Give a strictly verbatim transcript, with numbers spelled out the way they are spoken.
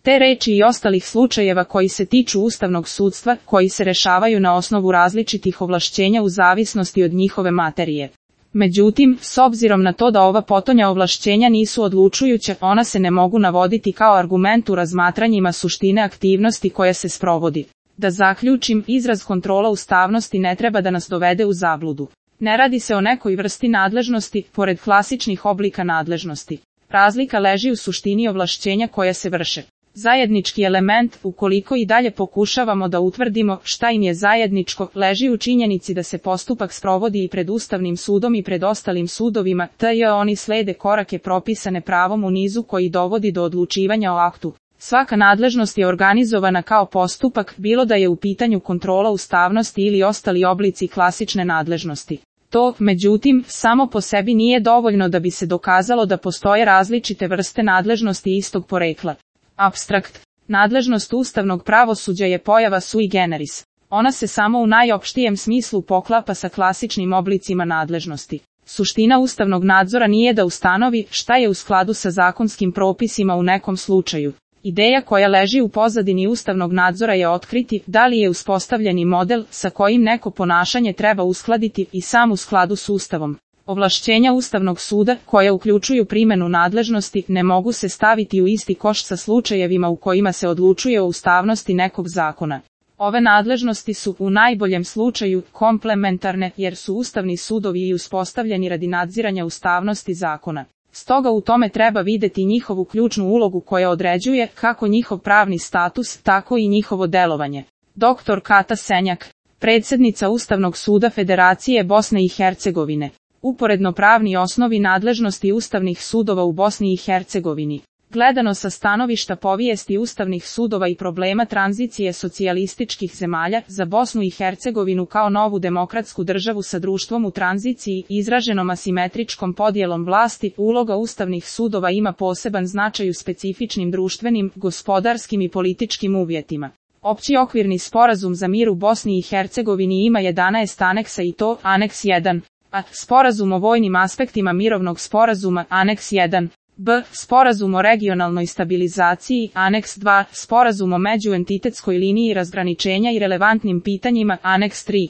Te reči i ostalih slučajeva koji se tiču ustavnog sudstva, koji se rešavaju na osnovu različitih ovlašćenja u zavisnosti od njihove materije. Međutim, s obzirom na to da ova potonja ovlašćenja nisu odlučujuća, ona se ne mogu navoditi kao argument u razmatranjima suštine aktivnosti koja se sprovodi. Da zaključim, izraz kontrola ustavnosti ne treba da nas dovede u zabludu. Ne radi se o nekoj vrsti nadležnosti, pored klasičnih oblika nadležnosti. Razlika leži u suštini ovlašćenja koja se vrše. Zajednički element, ukoliko i dalje pokušavamo da utvrdimo šta im je zajedničko, leži u činjenici da se postupak sprovodi i pred Ustavnim sudom i pred ostalim sudovima, te oni slede korake propisane pravom u nizu koji dovodi do odlučivanja o aktu. Svaka nadležnost je organizovana kao postupak, bilo da je u pitanju kontrola ustavnosti ili ostali oblici klasične nadležnosti. To, međutim, samo po sebi nije dovoljno da bi se dokazalo da postoje različite vrste nadležnosti istog porekla. Apstrakt. Nadležnost ustavnog pravosuđa je pojava sui generis. Ona se samo u najopštijem smislu poklapa sa klasičnim oblicima nadležnosti. Suština ustavnog nadzora nije da ustanovi šta je u skladu sa zakonskim propisima u nekom slučaju. Ideja koja leži u pozadini ustavnog nadzora je otkriti da li je uspostavljeni model sa kojim neko ponašanje treba uskladiti i sam u skladu s Ustavom. Ovlašćenja Ustavnog suda, koja uključuju primjenu nadležnosti, ne mogu se staviti u isti koš sa slučajevima u kojima se odlučuje o ustavnosti nekog zakona. Ove nadležnosti su, u najboljem slučaju, komplementarne, jer su ustavni sudovi i uspostavljeni radi nadziranja ustavnosti zakona. Stoga u tome treba videti njihovu ključnu ulogu koja određuje kako njihov pravni status, tako i njihovo delovanje. doktor Kata Senjak, predsjednica Ustavnog suda Federacije Bosne i Hercegovine. Uporedno pravni osnovi nadležnosti ustavnih sudova u Bosni i Hercegovini. Gledano sa stanovišta povijesti ustavnih sudova i problema tranzicije socijalističkih zemalja, za Bosnu i Hercegovinu kao novu demokratsku državu sa društvom u tranziciji, izraženom asimetričkom podjelom vlasti, uloga ustavnih sudova ima poseban značaj u specifičnim društvenim, gospodarskim i političkim uvjetima. Opći okvirni sporazum za mir u Bosni i Hercegovini ima jedanaest aneksa i to, aneks jedan. A. Sporazum o vojnim aspektima mirovnog sporazuma, aneks jedan. B. Sporazum o regionalnoj stabilizaciji, aneks dva. Sporazum o međuentitetskoj liniji razgraničenja i relevantnim pitanjima, aneks tri.